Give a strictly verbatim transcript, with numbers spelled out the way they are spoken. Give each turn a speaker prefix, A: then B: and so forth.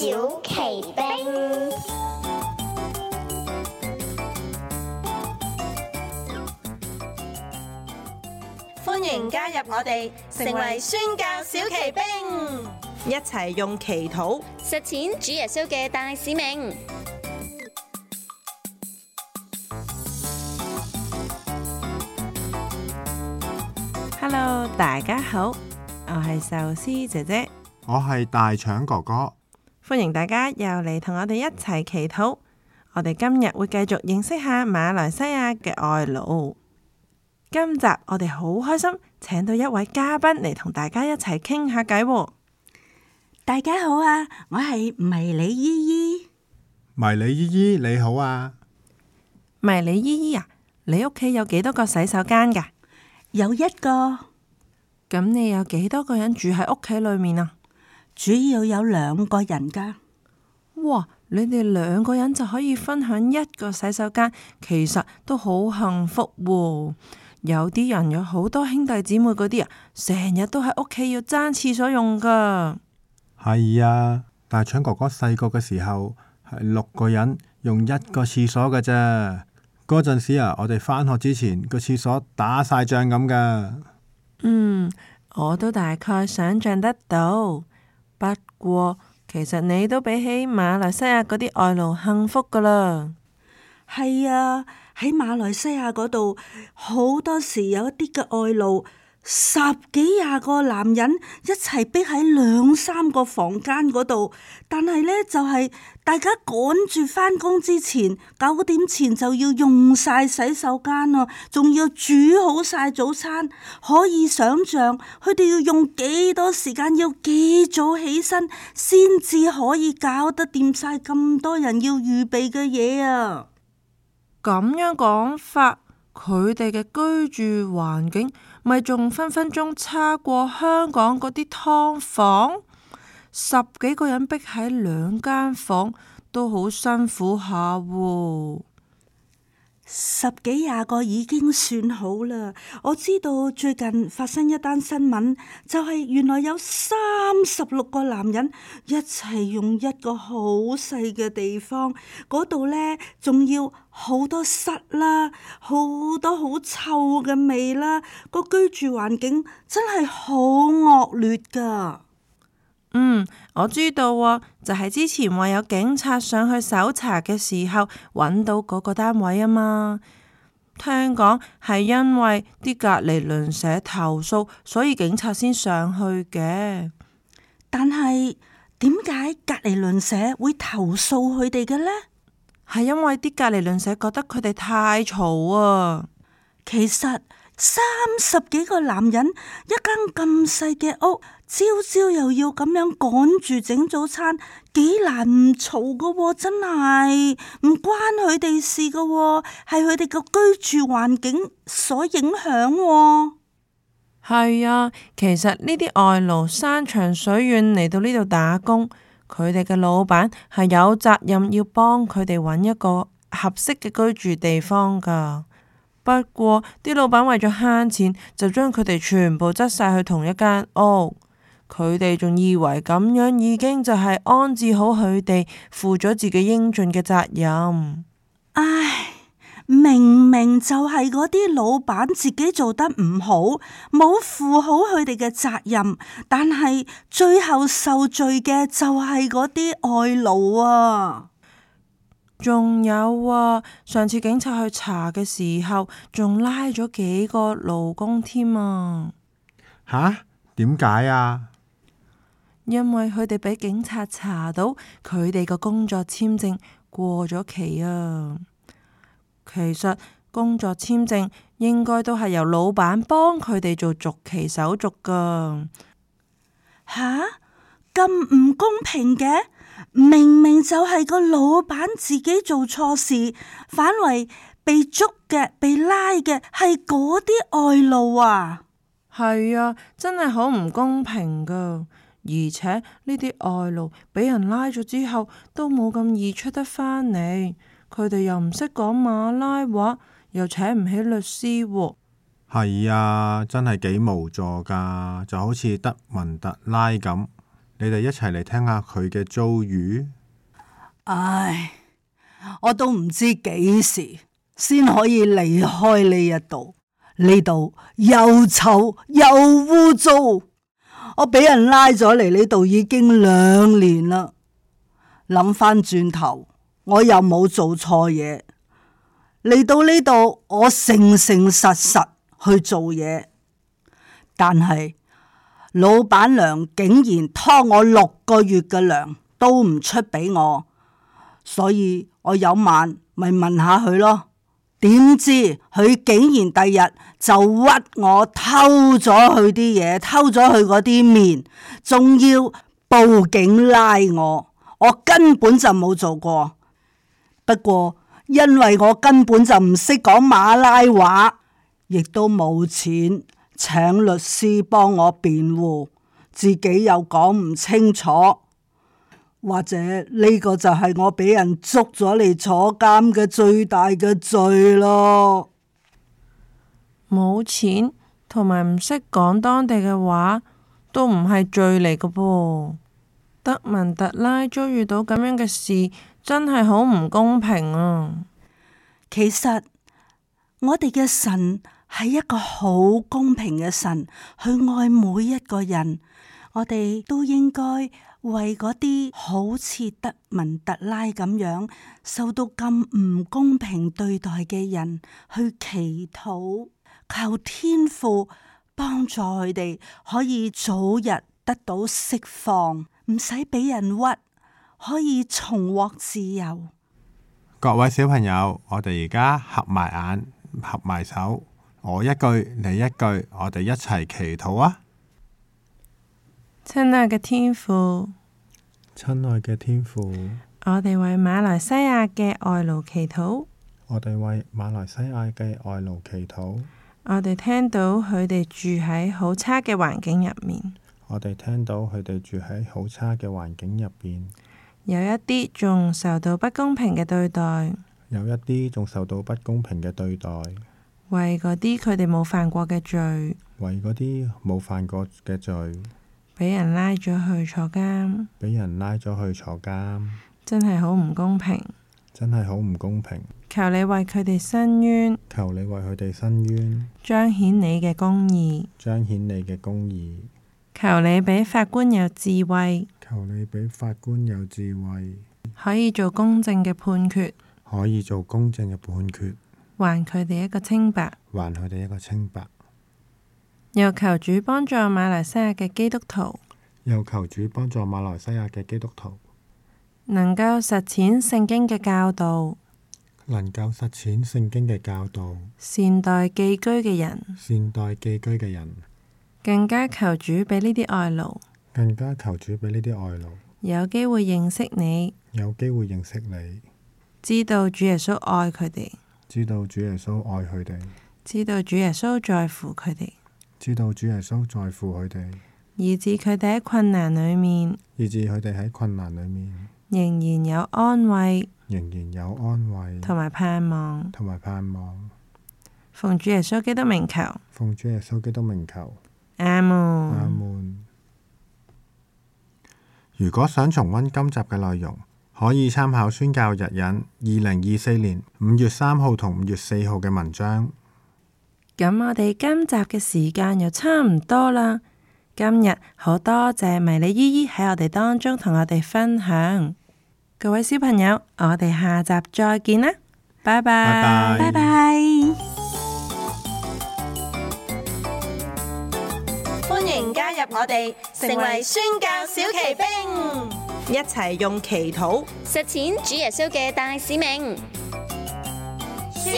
A: 小奇兵，
B: 歡迎加入我哋，成為宣教小奇兵，一齊用祈禱
C: 實踐主耶穌嘅大使命。
B: Hello， 大家好，我係壽司姐姐，
D: 我係大腸哥哥，
B: 歡迎大家又嚟同我哋一齊祈禱。我哋今日會繼續認識下馬來西亞嘅外勞。今集我哋好開心，請到一位嘉賓嚟同大家一齊傾下偈。
E: 大家好啊，我係迷你姨姨。
D: 迷你姨姨你好啊。
B: 迷你姨姨啊，你屋企有幾多個洗手間㗎？
E: 有一個。
B: 咁你有幾多個人住喺屋企裏面啊？
E: 主要有兩個人㗎。
B: 哇，你哋兩個人就可以分享一個洗手間，其實都好幸福喎。有啲人有好多兄弟姊妹嗰啲啊，成日都喺屋企要爭廁所用噶。
D: 係啊，大腸哥哥細個嘅時候係六個人用一個廁所㗎咋。嗰陣時啊，我哋返學之前個廁所打晒仗咁噶。
B: 嗯，我都大概想象得到。不過其實你都比起馬來西亞嗰啲外勞幸福噶啦。
E: 係啊，喺馬來西亞嗰度好多時有一啲嘅外勞，十幾廿個男人一齊逼喺兩三個房間嗰度，但係呢，就係大家趕住返工之前九點前就要用晒洗手間啊，仲要煮好晒早餐，可以想象佢哋要用幾多時間，要幾早起身先至可以搞得掂晒咁多人要預備嘅嘢啊！
B: 咁樣講法，佢哋嘅居住環境咪仲分分鐘差過香港嗰啲劏房？十幾個人逼喺兩間房都好辛苦下喎。
E: 十幾廿個已經算好啦。我知道最近發生一單新聞，就係原來有三十六個男人一齊用一個好細嘅地方，嗰度呢，仲要好多虱啦，好多好臭嘅味啦，個居住環境真係好惡劣噶。
B: 嗯，我知道啊，就係之前話有警察上去搜查嘅時候，揾到嗰個單位啊嘛。聽講係因為啲隔離鄰舍投訴，所以警察先上去嘅。
E: 但係點解隔離鄰舍會投訴佢哋嘅呢？
B: 係因為啲隔離鄰舍覺得佢哋太嘈啊。
E: 其實三十幾個男人一間咁細嘅屋，朝朝又要咁樣趕住整早餐，幾難唔嘈噶喎，真係唔關佢哋事噶喎，係佢哋個居住環境所影響喎。
B: 係啊，其實呢啲外勞山長水遠嚟到呢度打工，佢哋嘅老闆係有責任要幫佢哋揾一個合適嘅居住地方噶。不過啲老闆為咗慳錢，就將佢哋全部擠晒去同一間屋。佢哋仲以為咁樣已經就係安置好佢哋，負咗自己應盡嘅責任。
E: 唉，明明就係嗰啲老闆自己做得唔好，冇負好佢哋嘅責任，但係最後受罪嘅就係嗰啲外勞啊！
B: 仲有啊，上次警察去查嘅時候，仲拉咗幾個勞工添啊！
D: 吓？點解啊？
B: 因為佢哋俾警察查到佢哋個工作簽證過咗期啊。其實工作簽證應該都係由老闆幫佢哋做續期手續噶。
E: 吓？咁唔公平嘅？明明就係個老闆自己做錯事，反為被捉嘅、被拉嘅係嗰啲外勞啊！
B: 係啊，真係好唔公平噶。而且呢啲外勞俾人拉咗之後，都冇咁易出得返嚟。佢哋又唔識講馬拉話，又請唔起律師喎。
D: 係啊，真係幾無助噶，就好似德文特拉咁。你哋一齊嚟聽下佢嘅遭遇。
E: 唉，我都唔知幾時先可以離開呢一度，呢度又臭又污糟。我俾人拉咗嚟呢度已經兩年啦。諗翻轉頭，我又冇做錯嘢，嚟到呢度我誠誠實實去做嘢，但係老闆娘竟然拖我六個月嘅糧都唔出俾我，所以我有晚咪問下佢咯。點知佢竟然第日就屈我偷咗佢啲嘢，偷咗佢嗰啲麵，仲要報警拉我。我根本就冇做過，不過因為我根本就唔識講馬拉話，亦都冇錢請律師幫我辯護，自己又講唔清楚，或者呢個就係我俾人捉咗嚟坐監嘅最大嘅罪咯。
B: 冇錢同埋唔識講當地嘅話，都唔係罪嚟嘅噃。德文特拉遭遇到咁樣嘅事，真係好唔公平啊！
E: 其實我哋嘅神係一個好公平嘅神，去愛每一個人。我哋都應該為嗰啲好似德文特拉咁樣受到咁唔公平對待嘅人去祈禱，求天父幫助佢哋可以早日得到釋放，唔使俾人屈，可以重獲自由。
D: 各位小朋友，我哋而家合埋眼，合埋手，我一句你一句，我哋一齊祈禱啊！
B: 親愛嘅天父，
D: 親愛嘅天父，
B: 我哋為馬來西亞嘅外勞祈禱。
D: 我哋為馬來西亞嘅外勞祈禱。
B: 我哋聽到佢哋住喺好差嘅環境入面。
D: 我哋聽到佢哋住喺好差嘅環境入邊，
B: 有一啲仲受到不公平嘅對待，
D: 有一啲仲受到不公平嘅對待。
B: 為嗰啲佢哋冇犯過嘅罪，
D: 為嗰啲冇犯過嘅罪，
B: 俾人拉咗去坐監，
D: 俾人拉咗去坐監，
B: 真係好唔公平，
D: 真係好唔公平。
B: 求你為佢哋伸冤，
D: 求你為佢哋伸冤，
B: 彰顯你嘅公義，
D: 彰顯你嘅公義。
B: 求你俾法官有智慧，
D: 求你俾法官有智慧，
B: 可以做公正嘅判決，
D: 可以做公正嘅判決，
B: 還佢哋一個清白，
D: 還佢哋一個清白。
B: 又求主幫助馬來西亞嘅基督徒，
D: 又求主幫助馬來西亞嘅基督徒，
B: 能夠實踐聖經嘅教導，
D: 能夠實踐聖經嘅教導，
B: 善待寄居嘅人，
D: 善待寄居嘅人。
B: 更加求主俾呢啲外勞，
D: 更加求主俾呢啲外勞
B: 有機會認識你，
D: 有機會認識你，
B: 知道主耶穌愛佢哋，
D: 知道主耶穌愛佢哋，
B: 知道主耶穌在乎佢哋，
D: 知道主耶穌在乎佢哋，
B: 以致佢哋喺困難裏面，
D: 以致佢哋喺困難裏面
B: 仍然有安慰，
D: 仍然有安慰
B: 同埋盼望，
D: 同埋盼望。
B: 奉主耶穌基督名求，
D: 奉主耶穌基督名求。
B: 阿門。
D: 阿門。如果想重溫今集嘅內容，可以參考宣教日引二零二四年五月三號同五月四號嘅文章。
B: 咁我哋今集嘅時間又差唔多啦。今日好多謝迷你姨姨喺我哋當中同我哋分享。各位小朋友，我哋下集再見啦，拜拜，
D: 拜拜。
E: 拜拜。
C: 歡迎加入我哋，成為宣教小騎兵，
B: 一齊用祈禱
C: 實踐主耶穌嘅大使命。
A: 宣